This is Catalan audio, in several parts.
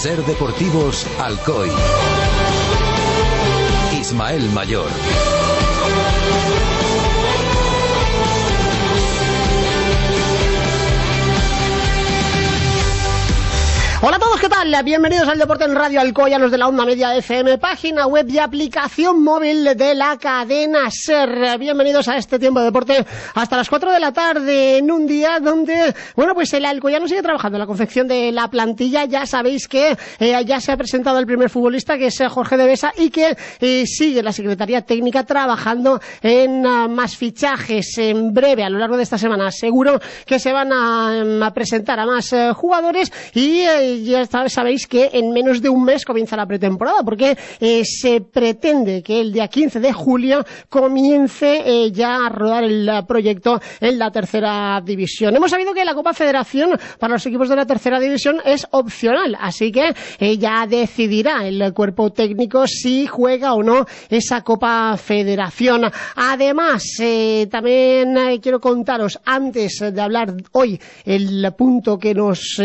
Ser Deportivos Alcoy. Ismael Mayor. Hola a todos, ¿qué tal? Bienvenidos al Deporte en Radio Alcoy, a los de la Onda Media FM, página web y aplicación móvil de la cadena SER. Bienvenidos a este tiempo de deporte hasta las 4 de la tarde, en un día donde, bueno, pues el alcoyano sigue trabajando en la confección de la plantilla. Ya sabéis que ya se ha presentado el primer futbolista, que es Jorge de Besa, y que sigue la Secretaría Técnica trabajando en más fichajes. En breve, a lo largo de esta semana, seguro que se van a presentar a más jugadores y ya sabéis que en menos de un mes comienza la pretemporada, porque se pretende que el día 15 de julio comience ya a rodar el proyecto en la tercera división. Hemos sabido que la Copa Federación para los equipos de la tercera división es opcional, así que ya decidirá el cuerpo técnico si juega o no esa Copa Federación. Además, también quiero contaros, antes de hablar hoy, el punto que nos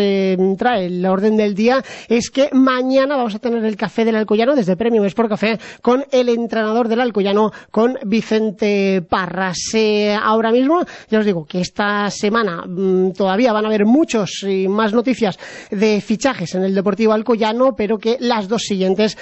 trae el orden del día, es que mañana vamos a tener el café del Alcoyano desde Premium Sport Café con el entrenador del Alcoyano, con Vicente Parras. Ahora mismo ya os digo que esta semana todavía van a haber muchos y más noticias de fichajes en el Deportivo Alcoyano, pero que las dos siguientes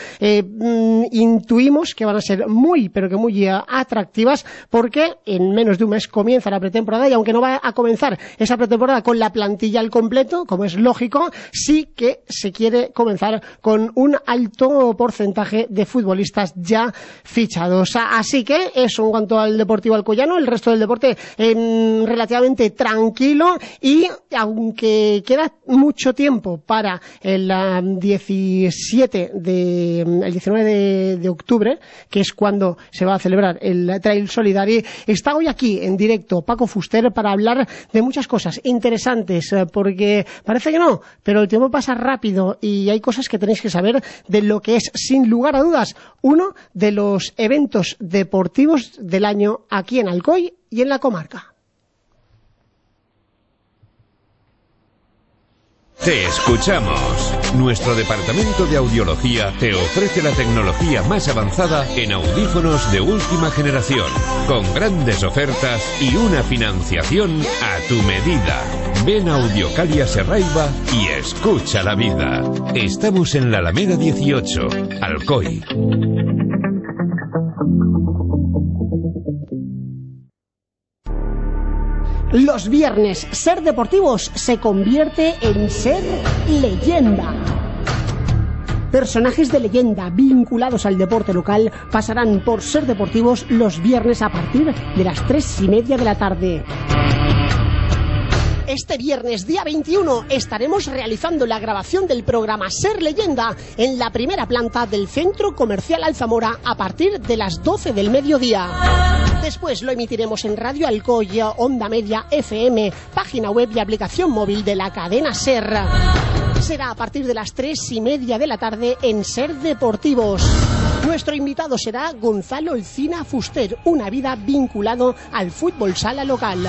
intuimos que van a ser muy, pero que muy atractivas, porque en menos de un mes comienza la pretemporada, y aunque no va a comenzar esa pretemporada con la plantilla al completo, como es lógico, sí que se quiere comenzar con un alto porcentaje de futbolistas ya fichados. Así que eso en cuanto al Deportivo Alcoyano. El resto del deporte relativamente tranquilo, y aunque queda mucho tiempo para el 19 de octubre, que es cuando se va a celebrar el Trail Solidari, está hoy aquí en directo Paco Fuster para hablar de muchas cosas interesantes, porque parece que no, pero el tiempo pasa rápido y hay cosas que tenéis que saber de lo que es, sin lugar a dudas, uno de los eventos deportivos del año aquí en Alcoy y en la comarca. Te escuchamos. Nuestro departamento de audiología te ofrece la tecnología más avanzada en audífonos de última generación, con grandes ofertas y una financiación a tu medida. Ven a Audiocalia Serraiva y escucha la vida. Estamos en la Alameda 18, Alcoy. Los viernes, Ser Deportivos se convierte en Ser Leyenda. Personajes de leyenda vinculados al deporte local pasarán por Ser Deportivos los viernes a partir de las 3:30 de la tarde. Este viernes, día 21, estaremos realizando la grabación del programa Ser Leyenda en la primera planta del Centro Comercial Alzamora a partir de las 12 del mediodía. Después lo emitiremos en Radio Alcoy, Onda Media FM, página web y aplicación móvil de la cadena SER. Será a partir de las 3:30 de la tarde en Ser Deportivos. Nuestro invitado será Gonzalo Alcina Fuster, una vida vinculado al fútbol sala local.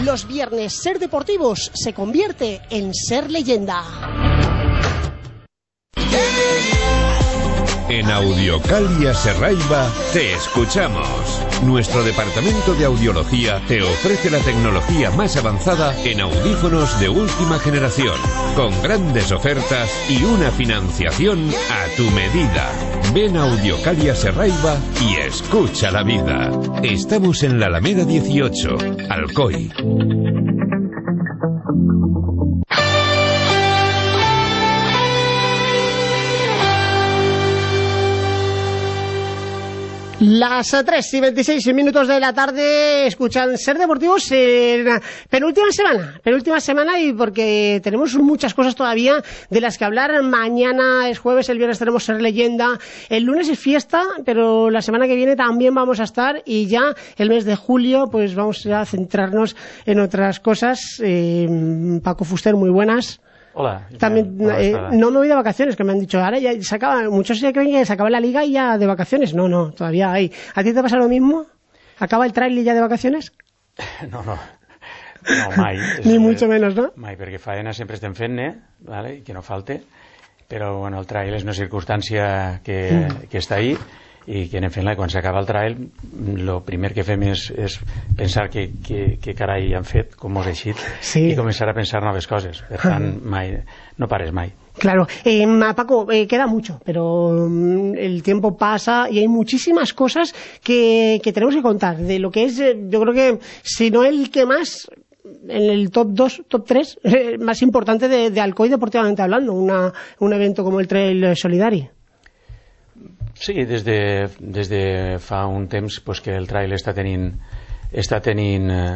Los viernes, Ser Deportivos se convierte en Ser Leyenda. En Audiocalia Serraiva te escuchamos. Nuestro departamento de audiología te ofrece la tecnología más avanzada en audífonos de última generación, con grandes ofertas y una financiación a tu medida. Ven a Audiocalia Serraiva y escucha la vida. Estamos en la Alameda 18, Alcoy. Las 3:26 de la tarde escuchan Ser Deportivos en penúltima semana, y porque tenemos muchas cosas todavía de las que hablar. Mañana es jueves, el viernes tenemos Ser Leyenda, el lunes es fiesta, pero la semana que viene también vamos a estar, y ya el mes de julio pues vamos a centrarnos en otras cosas. Paco Fuster, muy buenas. Hola. También no me voy de vacaciones, que me han dicho, ahora ya se acaba, muchos ya creen que se acaba la liga y ya de vacaciones. No, todavía hay. ¿A ti te pasa lo mismo? ¿Acaba el trailer ya de vacaciones? No, mai. Ni mucho menos, no? Mai, perquè faena sempre estem fent-ne, vale? I que no falte. però bueno, el trail és una circumstància que està ahí i que anem fent-la, i quan s'acaba el trail el primer que fem és pensar que carai han fet, com us ha eixit, i començar a pensar noves coses. Per tant, mai, no pares mai. Claro, Paco, queda mucho, pero el tiempo pasa y hay muchísimas cosas que tenemos que contar de lo que es, yo creo que si no el que más, en el top 2, top 3 más importante de Alcoi deportivamente hablando, un evento como el Trail Solidari. Sí, des de fa un temps pues, que el trail està tenint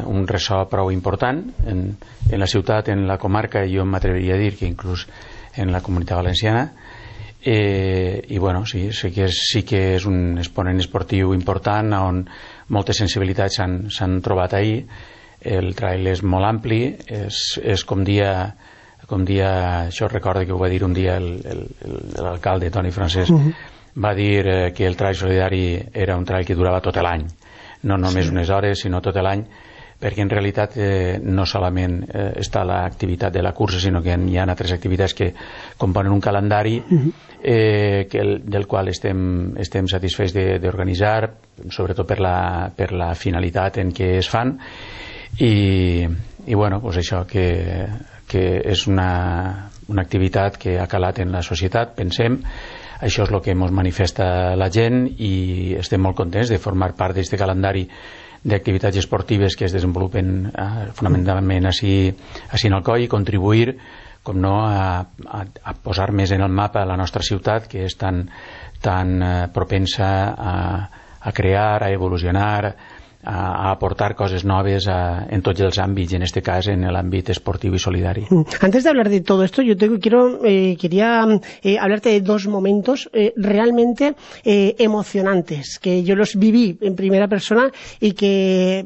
un ressò prou important en la ciutat, en la comarca, i jo m'atreviria a dir que inclús en la Comunitat Valenciana, i bueno, sí que és un exponent esportiu important on moltes sensibilitats s'han trobat ahir. El trail és molt ampli, és com dia, això recordo que ho va dir un dia l'alcalde Toni Francesc, va dir que el trail solidari era un trail que durava tot l'any, no només unes hores, sinó tot l'any, perquè en realitat no solament està l'activitat de la cursa, sinó que hi ha altres activitats que componen un calendari del qual estem satisfets d'organitzar, sobretot per la finalitat en què es fan, i bueno, doncs això, que és una activitat que ha calat en la societat, pensem. Això és el que ens manifesta la gent i estem molt contents de formar part d'aquest calendari d'activitats esportives que es desenvolupen fonamentalment així en Alcoi, i contribuir, com no, a posar més en el mapa la nostra ciutat, que és tan propensa a crear, a evolucionar, a aportar cosas noves en todos los ámbitos, en este caso en el ámbito esportivo y solidario. Antes de hablar de todo esto, yo quería hablarte de dos momentos realmente emocionantes, que yo los viví en primera persona y que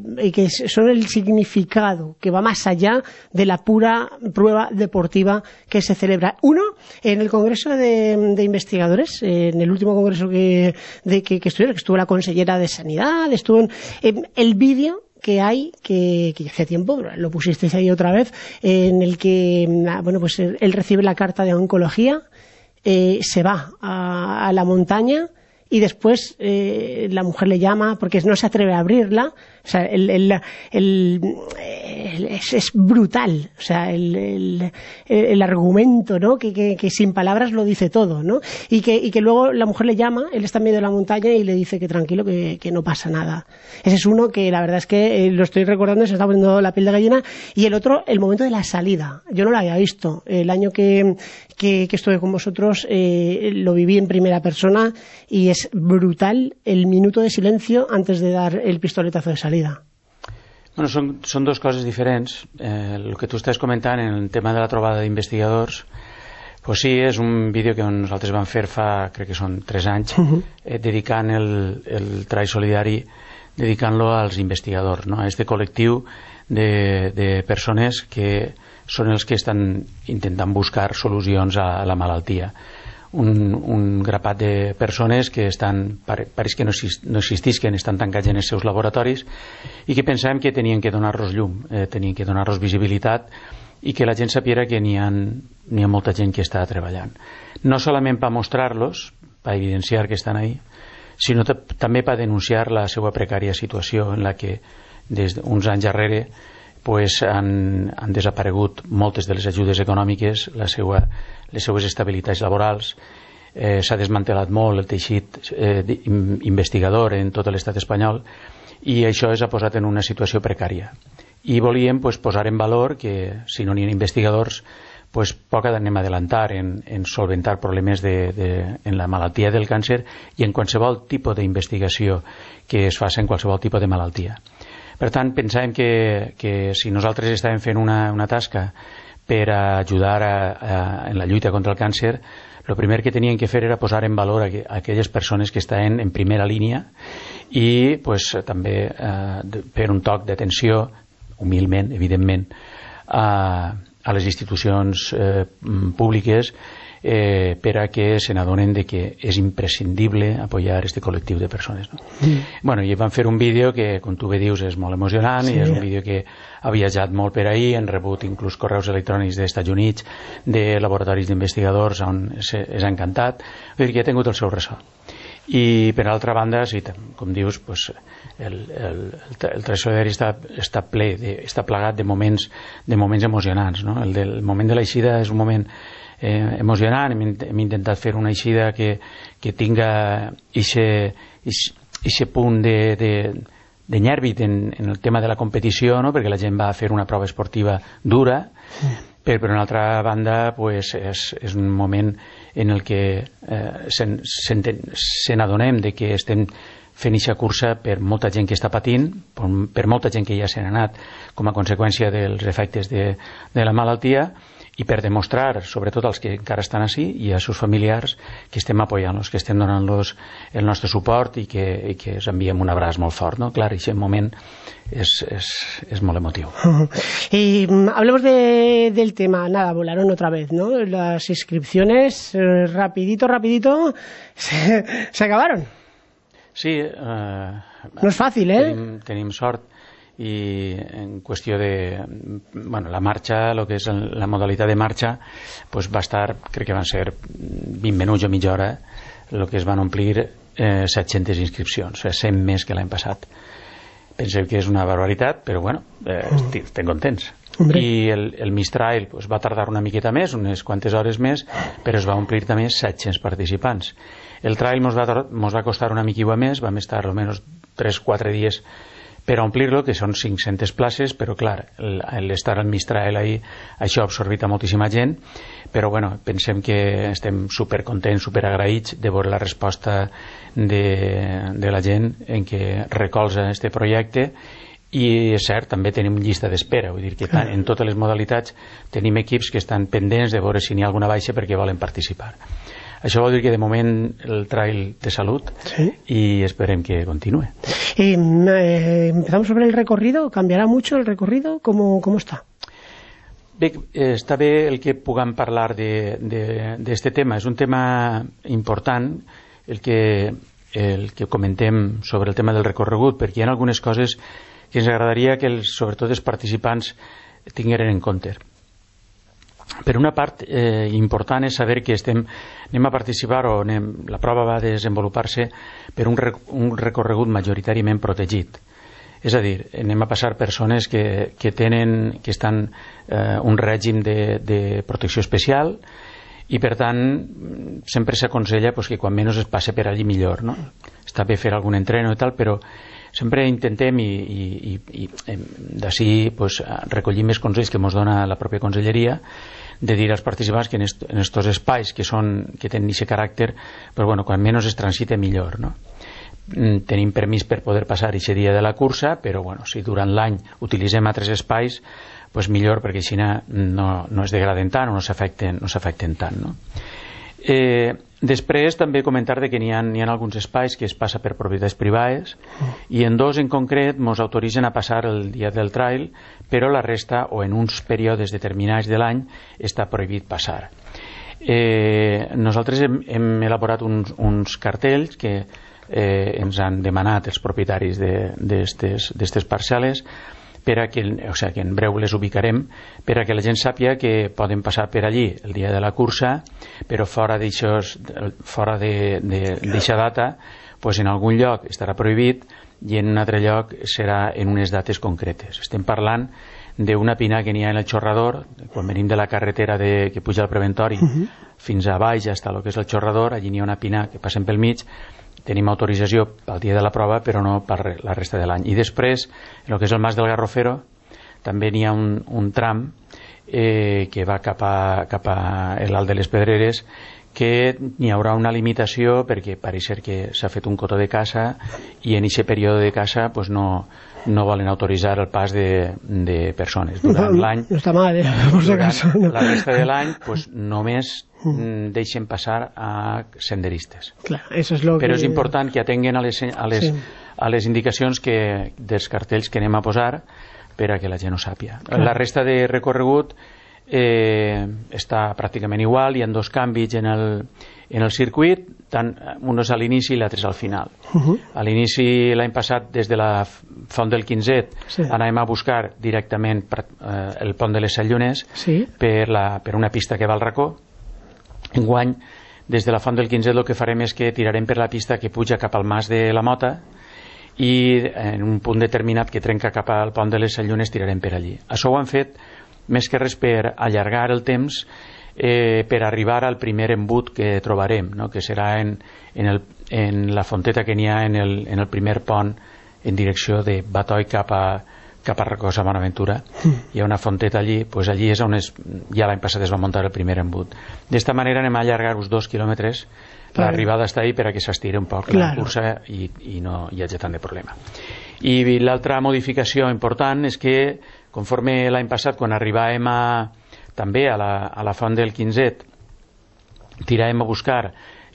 son el significado que va más allá de la pura prueba deportiva que se celebra. Uno, en el Congreso de Investigadores, en el último congreso que estuvo la consellera de Sanidad, estuvo en el vídeo que hay, que hace tiempo lo pusisteis ahí otra vez, en el que bueno, pues él recibe la carta de oncología, se va a la montaña y después la mujer le llama porque no se atreve a abrirla. O sea, es brutal, o sea, el argumento, ¿no? Que sin palabras lo dice todo, ¿no? Y que luego la mujer le llama, él está en medio de la montaña y le dice que tranquilo, que no pasa nada. Ese es uno que la verdad es que lo estoy recordando y se está poniendo la piel de gallina. Y el otro, el momento de la salida. Yo no lo había visto. El año que estuve con vosotros lo viví en primera persona y es brutal el minuto de silencio antes de dar el pistoletazo de salida. Bueno, són dos coses diferents. El que tu estàs comentant en el tema de la trobada d'investigadors, pues sí, és un vídeo que nosaltres vam fer fa, crec que són 3 anys, dedicant el Trail Solidari, dedicant-lo als investigadors, no? A este col·lectiu de persones que són els que estan intentant buscar solucions a la malaltia. Un grapat de persones que pareix que no existisquen, estan tancats en els seus laboratoris i que pensàvem que tenien que donar-los llum, tenien que donar-los visibilitat i que la gent sapiera que n'hi ha molta gent que està treballant. No solament per mostrar-los, per evidenciar que estan ahí, sinó també per denunciar la seva precària situació en la que des d'uns anys darrere pues han desaparegut moltes de les ajudes econòmiques, les seues estabilitats laborals, s'ha desmantelat molt el teixit investigador en tot l'estat espanyol i això ha posat en una situació precària. I volíem posar en valor que si no n'hi ha investigadors, poc anem a adelantar en solventar problemes en la malaltia del càncer i en qualsevol tipus d'investigació que es faci en qualsevol tipus de malaltia. Per tant, pensàvem que si nosaltres estàvem fent una tasca per ajudar en la lluita contra el càncer, el primer que tenien que fer era posar en valor aquelles persones que estan en primera línia i també fer un toc d'atenció, humilment, evidentment, a les institucions públiques per a que se n'adonen de que és imprescindible apoyar este col·lectiu de persones, no? Bueno, i van fer un vídeo que, com tu bé dius, és molt emocionant, i és un vídeo que ha viatjat molt per ahir, han rebut inclús correus electrònics dels Estats Units, de laboratoris d'investigadors on és encantat, vull dir que ha tingut el seu ressò. I per altra banda, sí, com dius, pues, el tresorer està ple, està plagat de moments emocionants, no? El moment de l'eixida és un moment emocionant. Hem intentat fer una eixida que tinga ixe punt de nyèrbit en el tema de la competició, no? Perquè la gent va a fer una prova esportiva dura, però per una altra banda pues, és un moment en el que se n'adonem de que estem fent aquesta cursa per molta gent que està patint, per molta gent que ja se n'ha anat com a conseqüència dels efectes de la malaltia, i per demostrar, sobretot als que encara estan així i als seus familiars, que estem apoyant-los, que estem donant-los el nostre suport i que els enviem un abraç molt fort, ¿no? Clar, aquest moment es molt emotiu. Y hablemos del tema. Nada, volaron otra vez, ¿no? Las inscripciones, rapidito, se acabaron. Sí. No és fàcil, Tenim sort, i en qüestió de la marxa, el que és la modalitat de marxa, pues va estar, crec que van ser 20 minuts o mitja hora, el que es van omplir 700 inscripcions, 100 més que l'any passat. Penseu que és una barbaritat, però bueno, estem contents. I el Mistral pues, va tardar una miqueta més, unes quantes hores més, però es va omplir també 700 participants. El trail mos va costar una miqueta més, vam estar almenys 3-4 dies per omplir-lo, que són 500 places, però clar, l'estar al Mistral ahir, això ha absorbit a moltíssima gent, però bueno, pensem que estem supercontents, superagraïts de veure la resposta de la gent en què recolza este projecte. I és cert, també tenim llista d'espera, vull dir que en totes les modalitats tenim equips que estan pendents de veure si n'hi ha alguna baixa perquè volen participar. Això vol dir que de moment el trail té salut, y esperem que continúe. Empezamos sobre el recorrido. ¿Cambiará mucho el recorrido? ¿Cómo está? Bé, està bé el que puguem parlar d'este tema. És un tema important el que comentem sobre el tema del recorregut, perquè hi ha algunes coses que ens agradaria que sobretot els participants tingueren en compte. Per una part important és saber que anem a participar la prova va desenvolupar-se per un recorregut majoritàriament protegit. És a dir, anem a passar persones que estan un règim de protecció especial i per tant sempre s'aconsella que quan menys es passe per allí millor, no? Està bé fer algun entreno i tal, però sempre intentem i d'ací recollim més consells que ens dona la pròpia conselleria, de dir als participants que en estos espais que tenen aquest caràcter, quan menys es transite millor, no? Tenim permís per poder passar aquest dia de la cursa, però si durant l'any utilitzem altres espais, millor, perquè així no es degraden tant o no s'afecten tant, no? Després també comentar que n'hi ha alguns espais que es passa per propietats privades i en dos en concret ens autoritzen a passar el dia del trail, però la resta o en uns períodes determinats de l'any està prohibit passar. Nosaltres hem elaborat uns cartells que ens han demanat els propietaris d'estes parcel·les, que en breu les ubicarem, per a que la gent sàpiga que poden passar per allí el dia de la cursa, però fora d'eixa data en algun lloc estarà prohibit i en un altre lloc serà en unes dates concretes. Estem parlant d'una pina que n'hi ha en el xorrador, quan venim de la carretera que puja al preventori fins a baix, fins al que és el xorrador, allí n'hi ha una pina que passem pel mig. Tenim autorització pel dia de la prova, però no per la resta de l'any. I després, en el que és el Mas del Garrofero, també n'hi ha un tram que va cap a l'Alt de les Pedreres, que n'hi haurà una limitació perquè pareix ser que s'ha fet un cotó de caça i en aquest període de caça no volen autoritzar el pas de persones. Durant l'any, no està mal, por si acaso. La resta de l'any només deixen passar a senderistes. Però és important que atenguen a les indicacions dels cartells que anem a posar per a que la gent ho sàpiga. La resta de recorregut està pràcticament igual, hi ha 2 canvis en el circuit, tant un és a l'inici i l'altre és al final. A l'inici, l'any passat, des de la Font del Quinzet, anàvem a buscar directament el pont de les 7 Llunes per una pista que va al racó. Enguany, des de la Font del Quinzet, el que farem és que tirarem per la pista que puja cap al Mas de la Mota, i en un punt determinat que trenca cap al pont de les 7 Llunes tirarem per allí. Això ho han fet més que res per allargar el temps, per arribar al primer embut que trobarem, no? Que serà en la fonteta que n'hi ha en el primer pont en direcció de Batoi cap a Recosa Bonaventura. Hi ha una fonteta allí, doncs allí és on ja l'any passat es va muntar el primer embut. D'esta manera anem a allargar uns 2 quilòmetres. L'arribada està ahí per a que s'estiri un poc la cursa i no hi hagi tant de problema. I l'altra modificació important és que, conforme l'any passat, quan arribàvem també a la Font del Quinzet, tiràvem a buscar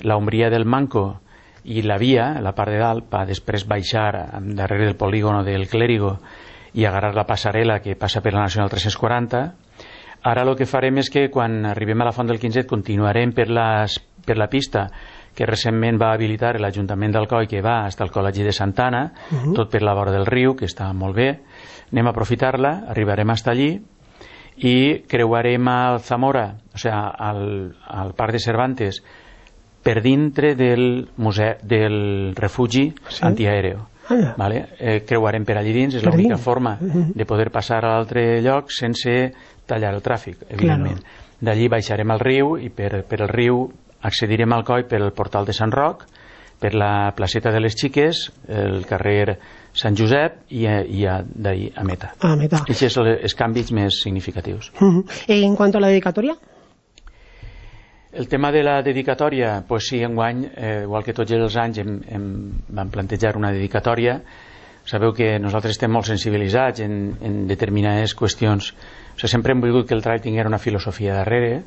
l'ombria del Manco i la via, la part de dalt, per després baixar darrere del polígono del Clérigo i agarrar la passarel·la que passa per la Nacional 340. Ara el que farem és que quan arribem a la Font del Quinzet continuarem per la pista que recentment va habilitar l'Ajuntament d'Alcoi, que va fins al Col·legi de Santana, tot per la vora del riu, que està molt bé. Anem a aprofitar-la, arribarem fins allí i creuarem al Zamora, o sigui, al Parc de Cervantes, per dintre del refugi antiaèreo. Vale? Creuarem per allí dins, és l'única forma de poder passar a l'altre lloc sense tallar el tràfic, evidentment. D'allí baixarem al riu i per el riu accedirem al Coi per el portal de Sant Roc, per la placeta de les Xiques, el carrer Sant Josep i d'ahí a Meta. Aquests són els canvis més significatius. En quant a la dedicatòria? El tema de la dedicatòria, doncs sí, enguany, igual que tots els anys vam plantejar una dedicatòria. Sabeu que nosaltres estem molt sensibilitzats en determinades qüestions. O sigui, sempre hem volgut que el trail tingués una filosofia darrere,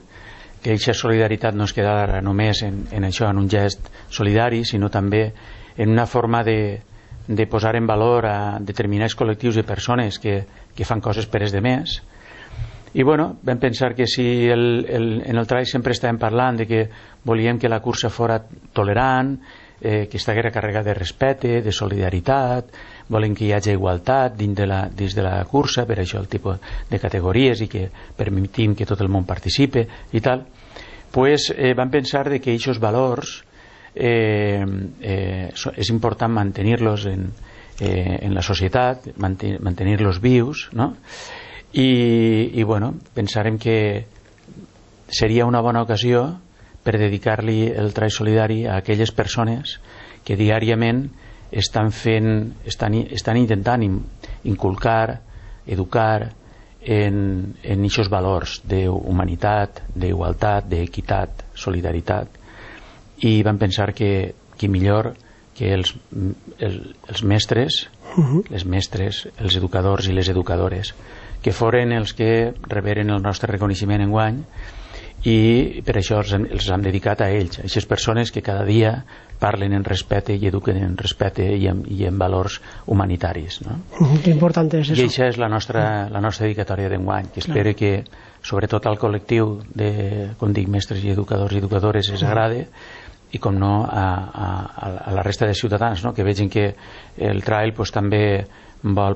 que aquesta solidaritat no es quedara només en això, en un gest solidari, sinó també en una forma de posar en valor a determinats col·lectius de persones que fan coses per els demés. I bueno, vam pensar que si en el trail sempre estàvem parlant de que volíem que la cursa fora tolerant, que estiguera carregada de respecte, de solidaritat, volem que hi hagi igualtat dins de la cursa, per això el tipus de categories i que permetim que tot el món participe i tal, pues vam pensar de que aquests valors és important mantenir-los en la societat, mantenir-los vius, no? I bueno, pensarem que seria una bona ocasió per dedicar-li el trail solidari a aquelles persones que diàriament estan intentant inculcar, educar en aquests valors d'humanitat, d'igualtat, d'equitat, solidaritat, i vam pensar que millor que els mestres, les mestres, els educadors i les educadores, que foren els que reberen el nostre reconeixement enguany, i per això els hem dedicat a ells, a aquestes persones que cada dia parlen en respecte i eduquen en respecte i en valors humanitaris, no? Que important és això. I això és la nostra dedicatòria d'enguany, que espero que sobretot al col·lectiu de, com dic, mestres i educadors i educadores els agrade, i com no a la resta de ciutadans, no? Que vegin que el trail pues, també vol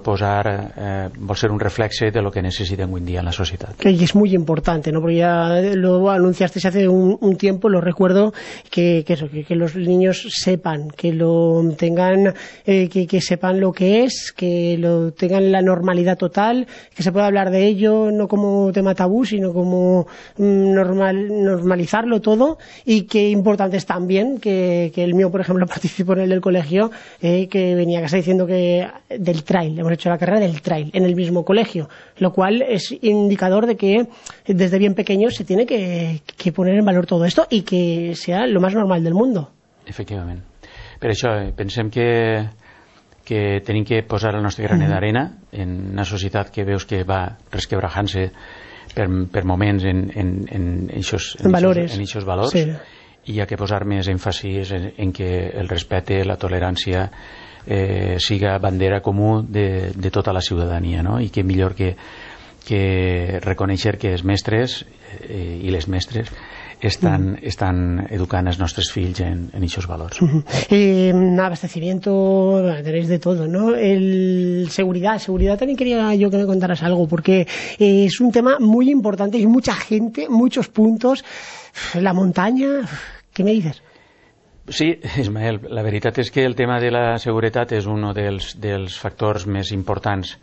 ser un reflexe de lo que necesitan hoy en día en la sociedad. Que es muy importante, ¿no? Porque ya lo anunciaste hace un tiempo, lo recuerdo, que los niños sepan, que lo tengan, que sepan lo que es, que lo tengan la normalidad total, que se pueda hablar de ello no como tema tabú, sino como normalizarlo todo, y que importante es también que el mío, por ejemplo, participó en el del colegio, que venía a casa diciendo que del trail, hemos hecho la carrera del trail en el mismo colegio, lo cual es indicador de que desde bien pequeños se tiene que poner en valor todo esto y que sea lo más normal del mundo. Efectivament. Per això pensem que tenim que posar el nostre granet d'arena en una societat que veus que va resquebrajant-se per moments en aquests valors, sí. I hi ha que posar més èmfasis en que el respecte, la tolerància siga bandera comú de tota la ciutadania, no? I que millor que reconèixer que els mestres i les mestres estan educando a nuestros fills en esos valores. Abastecimiento, tenéis de todo, ¿no? Seguridad también quería yo que me contaras algo, porque es un tema muy importante y mucha gente, muchos puntos. La montaña, ¿qué me dices? Sí, Ismael, la veritat és que el tema de la seguretat és un dels factors més importants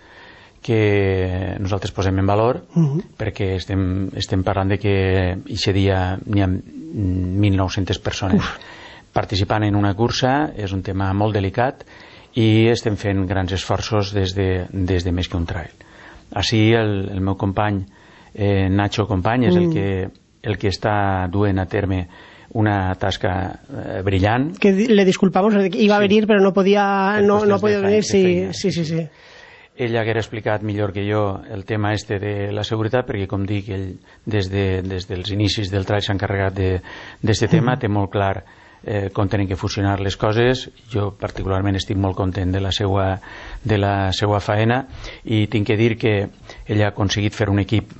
que nosaltres posem en valor, perquè estem parlant de que aquest dia n'hi ha 1.900 persones participant en una cursa. És un tema molt delicat i estem fent grans esforços des de més que un trail. Així el meu company Nacho Company és el que està duent a terme una tasca brillant. Que le disculpamos, iba a venir pero no podía venir. Sí. Ell haguera explicat millor que jo el tema de la seguretat, perquè com dic, ell des dels inicis del trail s'ha encarregat d'aquest tema, té molt clar com tenen que funcionar les coses. Jo particularment estic molt content de la seva faena i tinc que dir que ell ha aconseguit fer un equip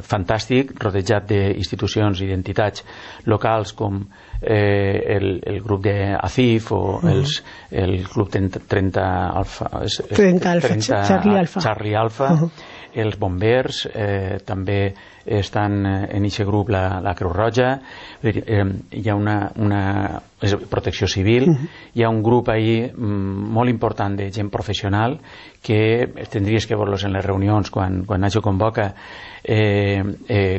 fantàstic, rodejat d'institucions i d'entitats locals com el grup d'ACIF o el club 30 Charlie Alfa, els bombers també estan en aquest grup, la Creu Roja, hi ha una protecció civil, hi ha un grup ahí molt important de gent professional que tindries que veure-los en les reunions quan Nacho convoca,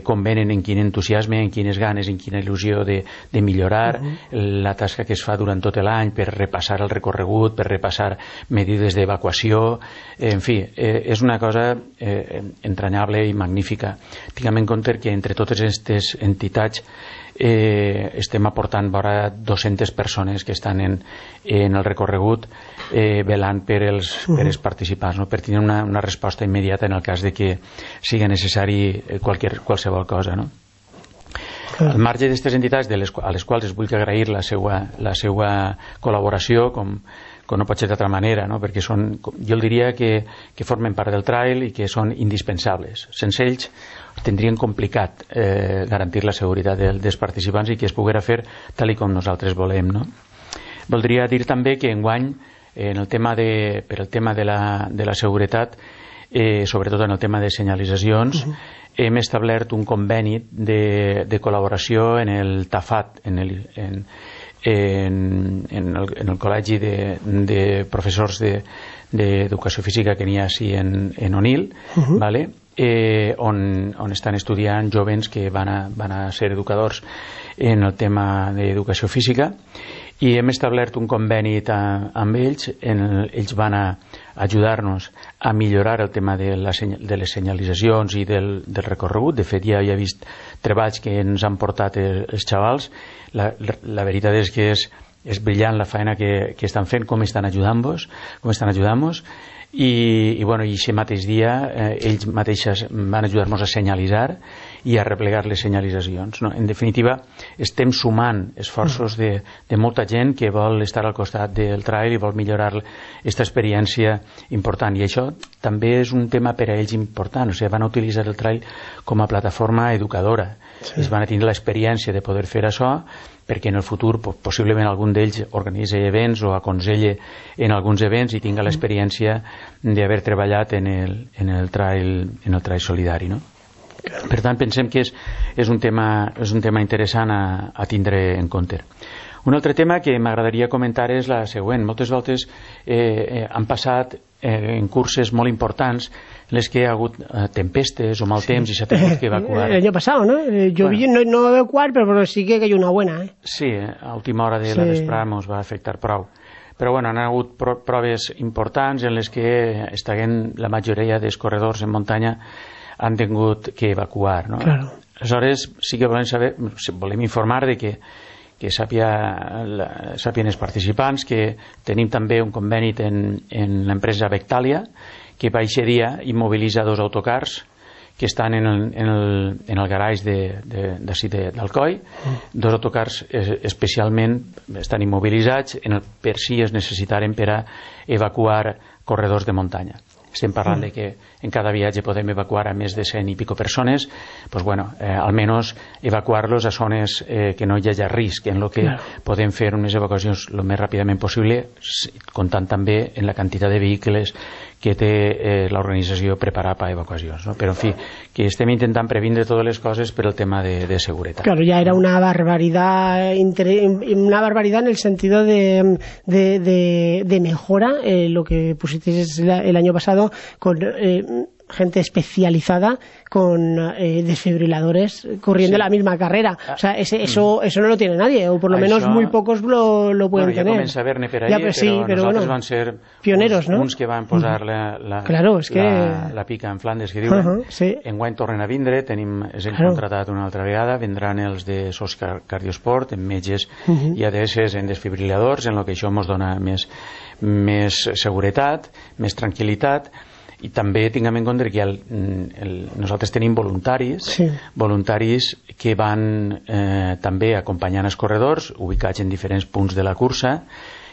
com venen, en quin entusiasme, en quines ganes, en quina il·lusió de millorar la tasca que es fa durant tot l'any per repassar el recorregut, per repassar mesures d'evacuació. En fi, és una cosa entranyable i magnífica. Tinguem en compte que entre totes aquestes entitats estem aportant vora 200 persones que estan en el recorregut velant per els participants, per tenir una resposta immediata en el cas de que sigui necessari qualsevol cosa, no? Al marge d'aquestes entitats a les quals es vull agrair la seva col·laboració, com no pot ser d'altra manera, no? Perquè jo el diria que formen part del trail i que són indispensables. Sense ells tindrien complicat garantir la seguretat dels participants i que es poguera fer tal com nosaltres volem, no? Voldria dir també que enguany per el tema de la seguretat, sobretot en el tema de senyalitzacions, hem establert un conveni de col·laboració en el TAFAT, en el col·legi de professors d'educació física que n'hi ha així en Onil, on estan estudiant jovens que van a ser educadors en el tema d'educació física, i hem establert un conveni amb ells. Ells van a ajudar-nos a millorar el tema de les senyalitzacions i del recorregut. De fet, ja he vist treballs que ens han portat els xavals. La veritat és que és brillant la feina que estan fent, com estan ajudant-nos, i aquest mateix dia ells mateixes van ajudar-nos a senyalitzar i a replegar les senyalitzacions, no? En definitiva, estem sumant esforços de molta gent que vol estar al costat del trail i vol millorar aquesta experiència important, i això també és un tema per a ells important. O sigui, van a utilitzar el trail com a plataforma educadora. Ells van a tenir l'experiència de poder fer això, perquè en el futur possiblement algun d'ells organitza events o aconsella en alguns events i tinga l'experiència d'haver treballat en el trail solidari, no? Per tant, pensem que és un tema interessant a tindre en compte. Un altre tema que m'agradaria comentar és la següent. Moltes voltes han passat en curses molt importants en les que hi ha hagut tempestes o mal temps i s'ha tingut que evacuar. El año pasado, ¿no? Yo no va a evacuar, pero sí que hay una buena, ¿eh? Sí, a última hora de la vesprada ens va afectar prou. Però bueno, han hagut proves importants en les que la majoria dels corredors en muntanya han tingut que evacuar, no? Claro. Aleshores, sí que volem informar de que sàpien els participants que tenim també un conveni en l'empresa Vectalia, que va aquest dia immobilitza 2 autocars que estan en el garage d'Alcoi. 2 autocars especialment estan immobilitzats per si es necessitaren per a evacuar corredors de muntanya. estem parlant de que en cada viatge podem evacuar a més de 100 i pico persones, pues bueno, almenys evacuar-los a zones que no hi hagi risc, en lo que podem fer unes evacuacions el més ràpidament possible, comptant també en la quantitat de vehicles que té l'organització preparada per a evacuacions, ¿no? Però, en fi, que estem intentant previndre totes les coses per el tema de seguretat. Claro, ya era una barbaridad en el sentido de mejora, lo que pusisteis el año pasado con gente especializada con desfibriladores corriendo la misma carrera. O sea, eso no lo tiene nadie, o por lo menos muy pocos lo pueden tener. Ja comença a haver-ne per allà, però nosaltres van ser pioneros, ¿no? uns que van posar la pica en Flandes, que diuen. Enguany tornen a vindre, ens hem contratat una altra vegada, vendran els de SOS Cardiosport, en metges i ADS en desfibriladors, en el que això ens dona més seguretat, més tranquil·litat. I també tinguem en compte que nosaltres tenim voluntaris que van també acompanyant els corredors ubicats en diferents punts de la cursa,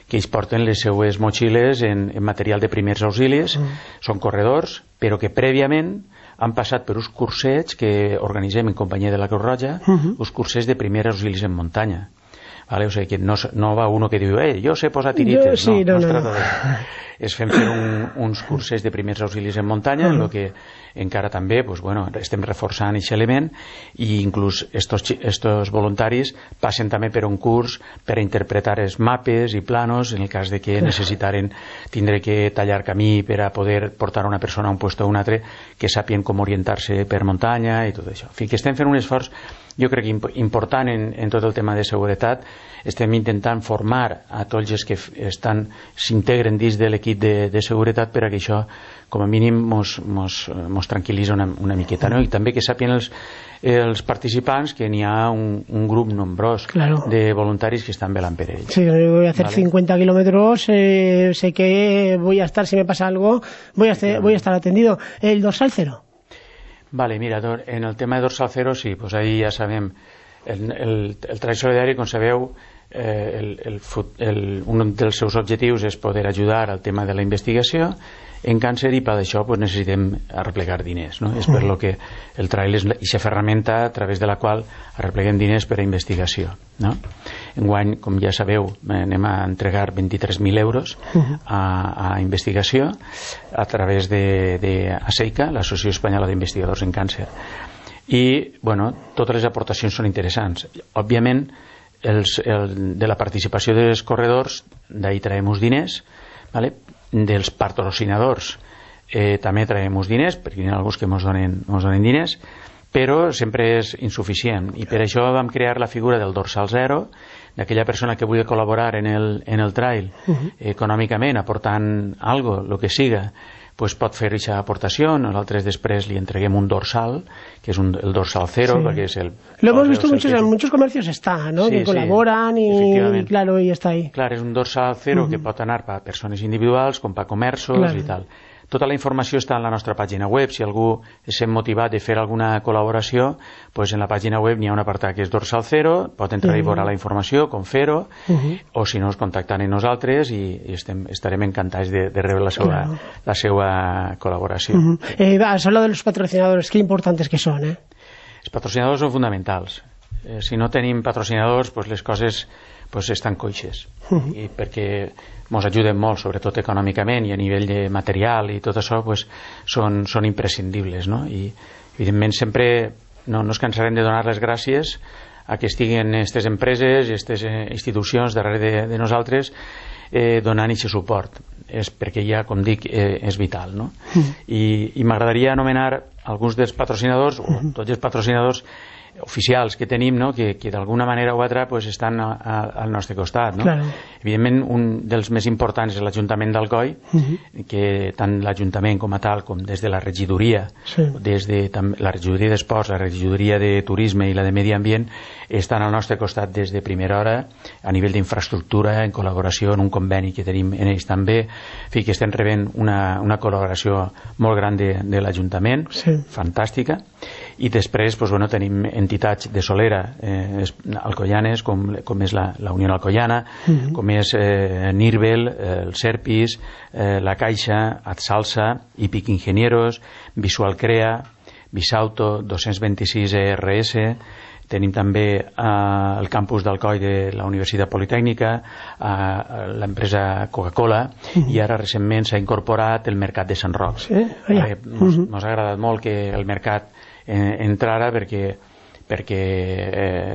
que ells porten les seues motxilles en material de primers auxilis, són corredors, però que prèviament han passat per uns cursets que organitzem en companyia de la Creu Roja, uns cursets de primers auxilis en muntanya. Vale? O sigui que no va uno que diu jo sé posar tirites, no es trata d'això. Es fem fer uns curses de primers auxilis en muntanya, en el que encara també estem reforçant aquest element, i inclús estos voluntaris passen també per un curs per a interpretar els mapes i planos en el cas de que necessitaren tindre que tallar camí per a poder portar una persona a un lloc o a un altre, que sàpien com orientar-se per muntanya i tot això. En fi, que estem fent un esforç, jo crec que important en tot el tema de seguretat. Estem intentant formar a tots els que s'integren dins de l'equip de seguretat per a que això com a mínim mos tranquil·litza una miqueta, no? I també que sàpien els participants que n'hi ha un grup nombrós de voluntaris que estan velant per ells. Sí, voy a hacer 50 kilómetros, sé que voy a estar, si me pasa algo, voy a estar atendido. ¿El dorsal cero? Vale, mira, en el tema de dorsal cero, sí, pues ahí ja sabem, el Trail Solidari, com sabeu, un dels seus objectius és poder ajudar al tema de la investigació en càncer, i per això necessitem arreplegar diners, no? És per lo que el trail és aquesta ferramenta a través de la qual arrepleguem diners per a investigació, no? Enguany, com ja sabeu, anem a entregar 23.000 euros a investigació a través de ASEICA, l'Associació Espanyola d'Investigadors en Càncer. I, totes les aportacions són interessants. Òbviament, de la participació dels corredors, d'ahí traiem uns diners, ¿vale? Dels patrocinadors també traiem uns diners, perquè hi ha alguns que ens donen diners, però sempre és insuficient, i per això vam crear la figura del dorsal zero, d'aquella persona que vulgui col·laborar en el trail econòmicament, aportant algo, el que siga, pues pot fer aquesta aportació. Nosaltres després li entreguem un dorsal, que és el dorsal cero, perquè és el... Lo hemos visto en muchos comercios, está, ¿no? Que colaboran y claro, y está ahí. Clar, és un dorsal cero que pot anar per a persones individuals com per a comerços i tal. Tota la informació està en la nostra pàgina web. Si algú s'ha motivat de fer alguna col·laboració, pues en la pàgina web n'hi ha un apartat que és dorsal zero, pot entrar i veure la informació, com fer-ho, o si no, es contacten amb nosaltres i estarem encantats de rebre la seva col·laboració. Has hablado de los patrocinadores, qué importantes que son, ¿eh? Els patrocinadors són fonamentals. Si no tenim patrocinadors, pues les coses estan coixes, i perquè ens ajuden molt, sobretot econòmicament, i a nivell de material i tot això són imprescindibles, no? I evidentment sempre no ens cansarem de donar les gràcies a que estiguen aquestes empreses i aquestes institucions darrere de nosaltres donant aquest suport, és perquè ja, com dic, és vital, no? I m'agradaria anomenar alguns dels patrocinadors, o tots els patrocinadors oficials que tenim, no? que d'alguna manera o altra estan al nostre costat, no? Claro. Evidentment, un dels més importants és l'Ajuntament d'Alcoi, que tant l'Ajuntament com a tal, com des de la regidoria, des de la regidoria d'Esports, la regidoria de Turisme i la de Medi Ambient, estan al nostre costat des de primera hora, a nivell d'infraestructura, en col·laboració, en un conveni que tenim en ells també. En fi, que estem rebent una col·laboració molt gran de l'Ajuntament, fantàstica. i després tenim entitats de solera alcoianes com és la Unió Alcoiana, com és Nirbel, el Serpis, la Caixa, Adsalsa, Hípic Ingenieros, Visual Crea, Visauto, 226 ERS. Tenim també el campus d'Alcoi de la Universitat Politècnica, l'empresa Coca-Cola, i ara recentment s'ha incorporat el mercat de Sant Roc. Ens ha agradat molt que el mercat entrara perquè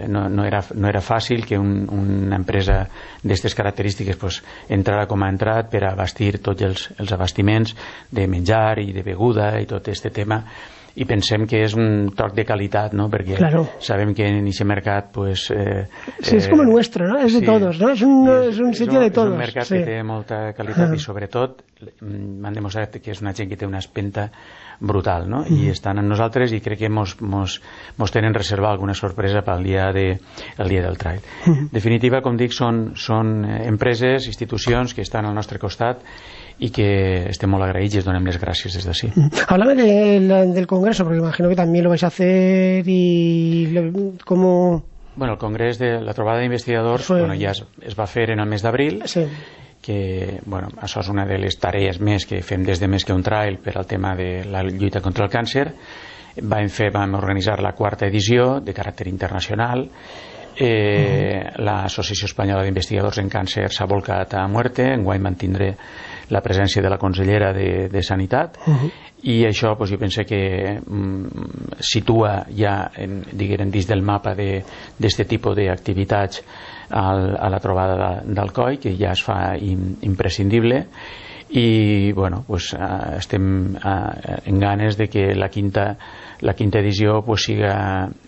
no era fàcil que una empresa d'aquestes característiques entrara com ha entrat per abastir tots els abastiments de menjar i de beguda i tot aquest tema, i pensem que és un toc de qualitat, ¿no? Perquè sabem que en aquest mercat sí, és com el nuestro, ¿no? És de todos, ¿no? És un sitio de todos. És un mercat que té molta qualitat i sobretot m'han demostrat que és una gent que té una espenta brutal, no? I estan amb nosaltres i crec que mos tenen reservar alguna sorpresa pel dia del trail. En definitiva, com dic, són empreses, institucions que estan al nostre costat y que estem molt agraïts y les donem les gràcies des d'ací. Háblame del Congreso, porque imagino que también lo vais a hacer y cómo... Bueno, el Congrés de la trobada d'investigadors ja es va fer en el mes d'abril, que això és una de les tarees més que fem des de Més que un trail per al tema de la lluita contra el càncer. Vam organitzar la 4ª edició de caràcter internacional. L'Associació Espanyola d'Investigadors en Càncer s'ha volcat a muerte. Enguany mantindré la presència de la consellera de Sanitat, i això jo penso que situa ja dins del mapa d'aquest tipus d'activitats a la trobada d'Alcoi, que ja es fa imprescindible, i estem en ganes de que la quinta edició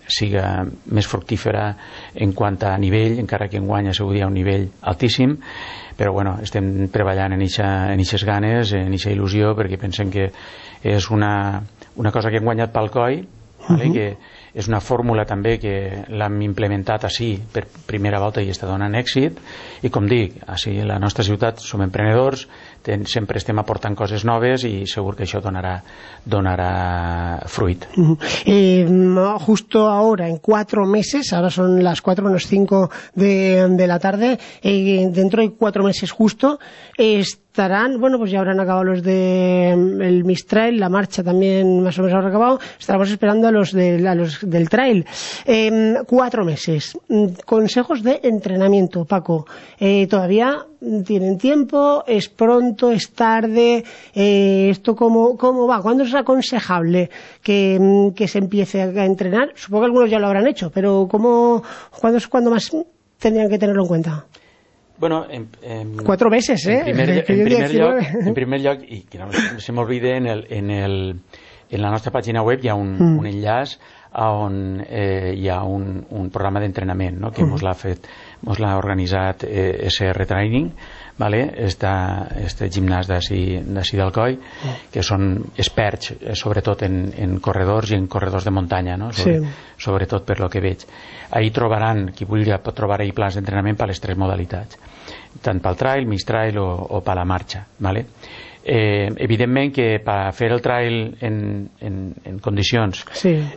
siga més fructífera en quant a nivell, encara que enguany ha sigut ja un nivell altíssim, però estem treballant en aquestes ganes, en aquesta il·lusió, perquè pensem que és una cosa que hem guanyat pel COI, que és una fórmula també que l'hem implementat així per primera volta i està donant èxit, i com dic, així a la nostra ciutat som emprenedors, sempre estem aportant coses noves i segur que això donarà fruit. Justo ahora, en 4 meses, ahora son las 4 menos 5 de la tarde, dentro de 4 meses justo, estarán, ya habrán acabado los del Mistrail, la marcha también más o menos habrá acabado, estaremos esperando a los del trail. 4 meses. Consejos de entrenamiento, Paco. ¿Todavía tienen tiempo? ¿Es pronto? ¿Es tarde? ¿Esto cómo va? ¿Cuándo es aconsejable que se empiece a entrenar? Supongo que algunos ya lo habrán hecho, pero ¿cuándo es cuando más tendrían que tenerlo en cuenta? 4 meses, ¿eh? En primer lloc, i que no se m'oblide, en la nostra pàgina web hi ha un enllaç on hi ha un programa d'entrenament, no? Que mos l'ha organitzat SR Training, este gimnàs d'ací d'Alcoi, que són experts sobretot en corredors i en corredors de muntanya, no? Sobretot per lo que veig. Ahí trobaran, qui vulgui pot trobar ahí plans d'entrenament per les 3 modalitats, tant pel trail, mistrail o per la marxa. Evidentment que per fer el trail en condicions,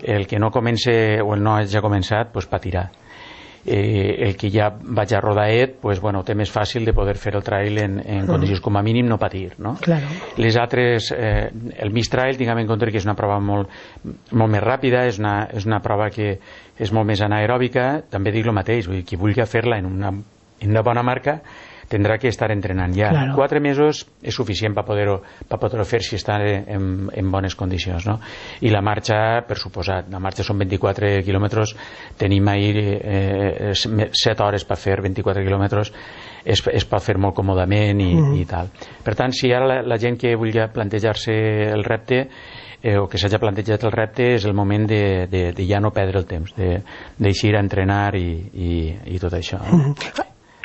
el que no comença o el no hagi començat patirà. El que ja vaig a rodaet té més fàcil de poder fer el trail en condicions com a mínim no patir, no? Les altres, el mistrail, tinguem en compte que és una prova molt més ràpida, és una prova que és molt més anaeròbica. També dic el mateix, qui vulgui fer-la en una bona marca tindrà que estar entrenant ja. 4 mesos és suficient per poder-ho fer si està en bones condicions, no? I la marxa, per suposat, la marxa són 24 quilòmetres, tenim ahir 7 hores per fer 24 quilòmetres, es pot fer molt còmodament i tal. Per tant, si ara la gent que vulgui plantejar-se el repte o que s'hagi plantejat el repte, és el moment de ja no perdre el temps, d'eixir a entrenar i tot això.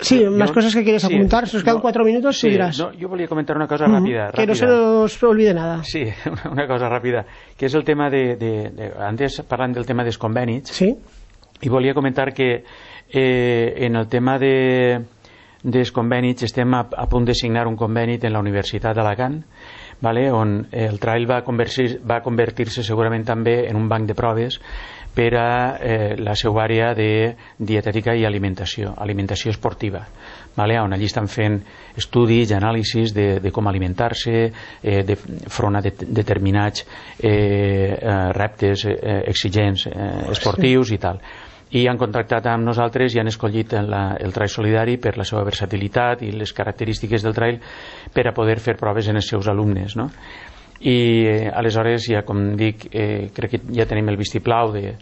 Sí, más cosas que quieres apuntar. Si nos quedan 4 minutos, sí, dirás. Yo volia comentar una cosa rápida. Que no se nos olvide nada. Sí, una cosa ràpida, que és el tema antes parlant del tema dels convenis, i volia comentar que en el tema dels convenis estem a punt de signar un conveni en la Universitat d'Alacant, vale? On el trail va convertir-se segurament també en un banc de proves per a la seva àrea de dietètica i alimentació esportiva, vale? On allí estan fent estudis i anàlisis de com alimentar-se front a determinats reptes exigents esportius i tal. I han contactat amb nosaltres i han escollit el trail solidari per la seva versatilitat i les característiques del trail per a poder fer proves en els seus alumnes, no? I aleshores, ja com dic, crec que ja tenim el vistiplau del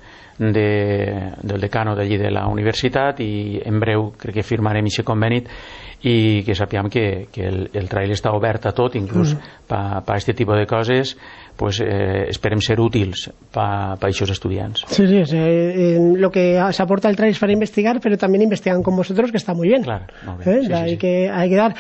decano d'allí de la universitat i en breu crec que firmarem aquest conveni i que sapiguem que el trail està obert a tot, inclús per aquest tipus de coses, pues esperem ser útils para esos estudiantes. Sí, lo que se aporta el trail es para investigar, pero también investigan con vosotros, que está muy bien. Claro, muy bien. Sí, hay que dar.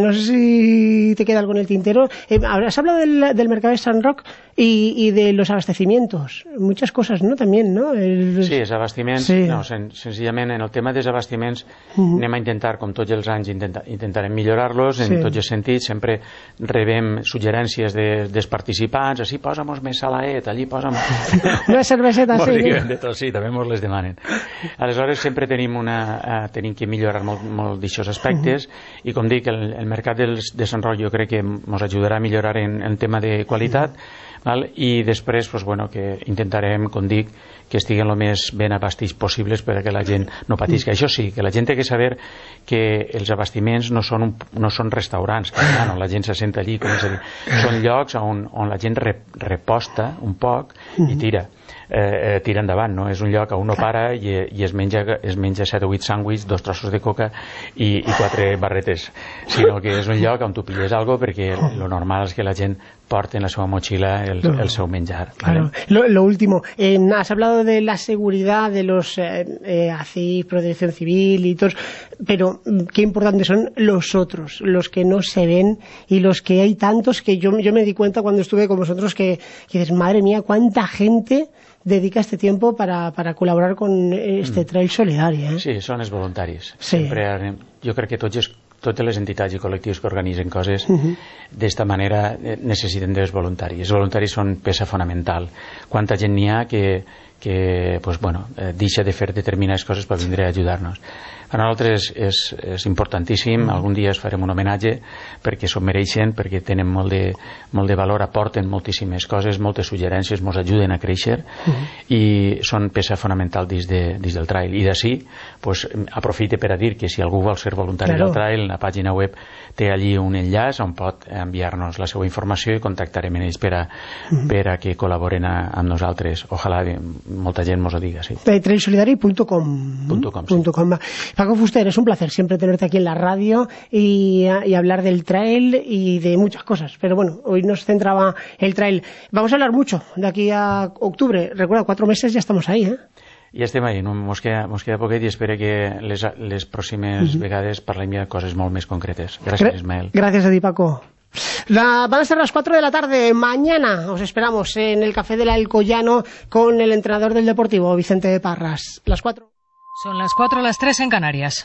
No sé si te queda algo en el tintero. Has hablado del mercado de Sant Roc y de los abastecimientos. Muchas cosas, ¿no? También, ¿no? Sí, els abastiments. Sí. No, senzillament en el tema dels abastiments anem a intentar, com tots els anys, intentarem millorar-los en tots els sentits. Sempre rebem suggerències dels participants, així posa'm més salaet, allí posa'm una cerveseta, sí. De tot, sí, també mos les demanen. Aleshores sempre tenim que millorar molt d'aixòs aspectes i com dic, el mercat de Sant Roc jo crec que ens ajudarà a millorar en tema de qualitat, val? I després pues, bueno, que intentarem, com dic, que estiguen el més ben abastits possibles perquè la gent no patisca. Això sí, que la gent té que saber que els abastiments no són restaurants, que no, la gent se senta allí, com és a dir, són llocs on la gent reposta un poc i tira endavant, no? És un lloc on no para i es menja 7 o 8 sàndwichs, 2 trossos de coca i 4 barretes, sinó que és un lloc on tu pilles algo perquè lo normal és que la gent porte en la seva motxilla el seu menjar, ¿vale? Claro. Lo último, has hablado de la seguridad de los ACIF, Protección Civil y todos, pero qué importantes son los otros, los que no se ven y los que hay tantos que yo me di cuenta cuando estuve con vosotros que dices, madre mía, cuánta gente dedica este tiempo para colaborar con este trail solidario. Sí, són els voluntaris. Sí. Sempre, jo crec que totes les entitats i col·lectius que organitzen coses d'esta manera necessiten dels voluntaris. Els voluntaris són peça fonamental. Quanta gent n'hi ha que pues, bueno, deixa de fer determinades coses per vindre a ajudar-nos. Per nosaltres és importantíssim. Algun dia es farem un homenatge perquè s'ho mereixen, perquè tenen molt de valor, aporten moltíssimes coses, moltes suggerències, ens ajuden a créixer i són peça fonamental dins del trail. I d'ací pues, aprofite per a dir que si algú vol ser voluntari del trail, la pàgina web té allí un enllaç on pot enviar-nos la seva informació i contactarem amb ells per a que col·laboren amb nosaltres. Ojalà molta gent mos ho diga. Sí. trailsolidari.com. Paco Fuster, es un placer siempre tenerte aquí en la radio y hablar del trail y de muchas cosas, pero bueno, hoy nos centraba el trail. Vamos a hablar mucho de aquí a octubre. Recuerda, 4 meses ya estamos ahí, ¿eh? Ja estem ahí, mos queda poquet i espero que les pròximes vegades parlem de coses molt més concretes. Gràcies, Ismael. Gracias a ti, Paco. Van a ser las 4 de la tarde. Mañana os esperamos en el Café del Alcoyano con el entrenador del Deportivo, Vicente Parras. Las 4. Son las 4, las 3 en Canarias.